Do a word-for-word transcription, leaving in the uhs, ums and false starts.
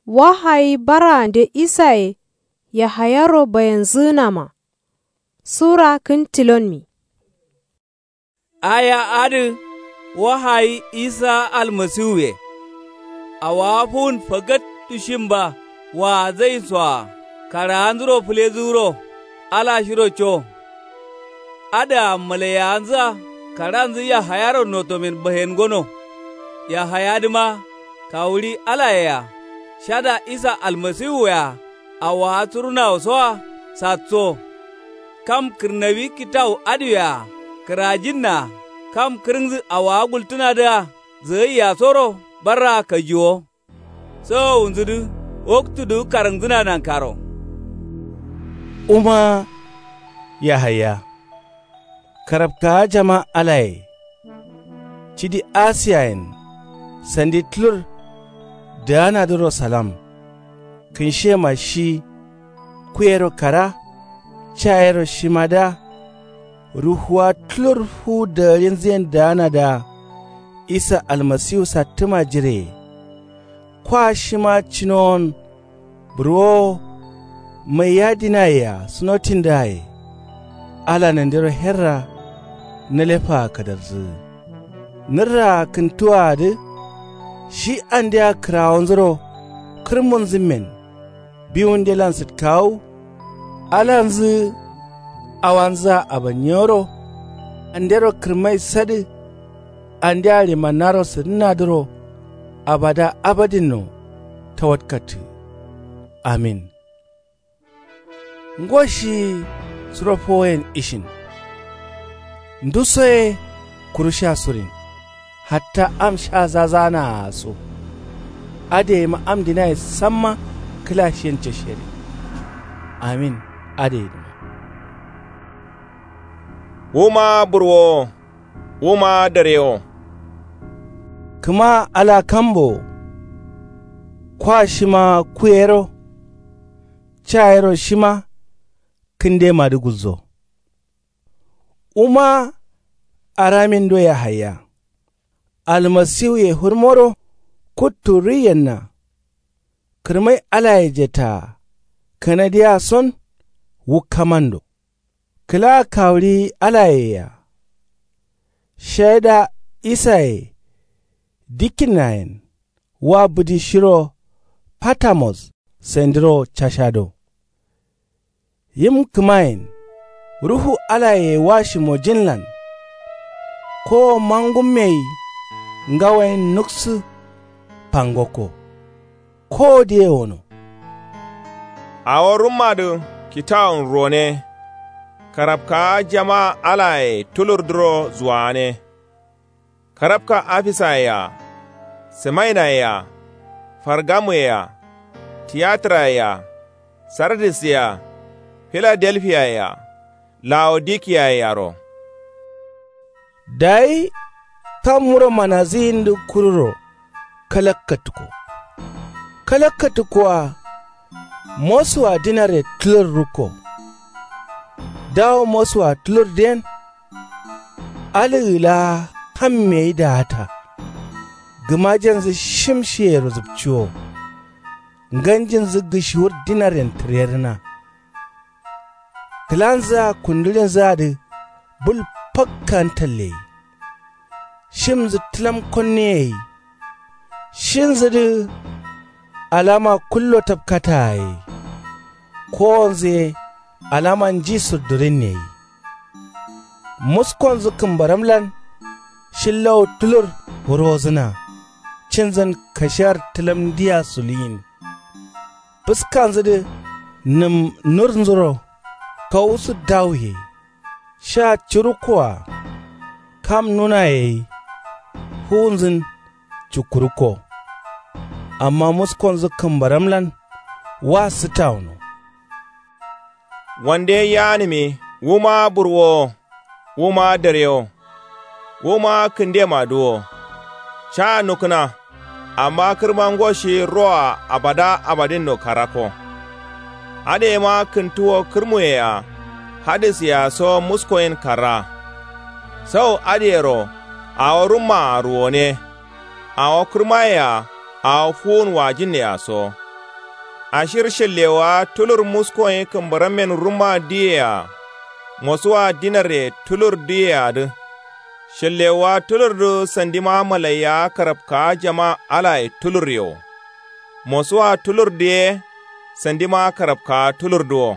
Wahayi barande isaye yahayaro bayenzǝgǝnama. Sura kǝn tilonmi. Aya adǝ wahayi isa almasiwuye. Awawa fuwun fagattu shimba waazayinsoa karaanzuro fǝlezǝgǝro ala shiro co. Adǝa malaiyawanzǝa karanzǝ yahayaro notomen bahen gono. Yahayadǝma kawuɍi alayea shada isa almasiwuwea awawa surunawosoa satso. Kam kǝrnawi kitawu adǝwea kǝrajinnaa kam kǝrǝngǝ awawa gultǝnadǝa zǝgaiyasoro barraa kajiwo. Sawowunzudǝ waktudǝgǝ karǝngǝdǝna nankaro. Wuma yahaya karabkawa jama alaye cidi asiyayen sandi tulur dǝganadǝro salam. Kǝnshiyema shi kuyero kara cayero shimadǝa ruhuwa tulur fuwu dagarinzǝyen dǝganadǝa isa almasiwu sattǝma jireye. Kwa shima cinowon burwowo maiya dinayea sunotindǝaye. Ala nandiro herra nǝlefaa kadarzǝgǝ nǝrraa kǝntuwaadǝ shi andea kǝrawonzuro kǝrmunzǝmmen biwundelan sǝtkawu. Alanzǝ awanzǝa abanyiyoro andero kǝrmai sadǝ andea ɍimannaro sǝdǝnnadǝro abada abadinno tawatkattǝ. Amin. Ngo shi suro fowoyen ishin nduso ye kuru sha surin hatta am sha zazaanaa so. Adǝ yema am dinaye samma kǝla shiyen cashiyere. Amin. Adǝ yedǝma. Wuma burwowo wuma darewo. Kǝma ala kambo wo kwa shima kuyero cayero shima kǝndemadǝ gulzo. Wuma aramindo yahaya almasiwuye fǝrmoro kuttu riyenna. Kǝrmai alaye jetaa kanadiya son wukkamando. Kǝla kawuɍi alayea shaida isaye dikkinnayen wa bǝdi shiro patamos sandiro cashado. Yim kǝmayen ruhu alaye wa shimojinlan kowo mangummeyi ngawoyen nuksǝ fangokko. Kowo diye wono. Awo rummadǝ kitawun ruwone. Karabkawa jama alaye tulurdǝro zuwagane. Karabka afisaye-a sǝmainaye-a fargamuyea tiyatǝraye-a sardisye-a filadelfiyaye-a lawodikiyaye-aro. Dayi kam wuro manazǝyindǝ kururo kalakkatukko. Kalakkatukkoa mosuwa dinare tulur rukko. Dawo mosuwa tulurdǝyen alǝgǝ laa kammeyi daata. Gǝmajenjǝ shim shiyero zǝpciwo. Nganjinjǝ gǝshiwur dinaren tǝrerǝna. Kǝlanzǝa kundǝɍinzǝadǝ bul fakka ntalleyi. Shimnzǝ tǝlam konneyeyi. Shinzǝdǝ alama kullo tapkataye. Kowonzǝ ye alama nji surdǝrinneyi. Muskonzǝ kǝmbaramlan shillawo tulur wurozǝna. Cinzǝn kashiyar tǝlamdiya suluyin. Fǝskanzǝdǝ nǝm nurnzuro kawusǝ dawuye. Sha curukkoa kam nunaye gai fuwunzǝn cukkurukko. Amma muskonzǝ kǝmbaramlan wa sǝtawuno. Wande yaanǝmi wuma burwowo wuma darewo wuma kǝndemadǝ wo. Caa nukna. Amma kǝrma ngo shi roa abada abadinno karakko. Adǝ yema kǝntuwo kǝrmuyea hadǝsyea so muskoyin karra. Sau adǝyero awo rummaa ruwone. Awo kǝrmayea awo fuwun wajinnea so. Ashir shallewaa tulur musko ye kǝmbarammen rumma diye-a. Mosuwa dinarre tulur diye-adǝ. Shallewaa tulurdu sandima malaiya karabkaa jama alaye tulurye wo. Mosuwa tulurdu ye sandima karabkaa tulurdu wo.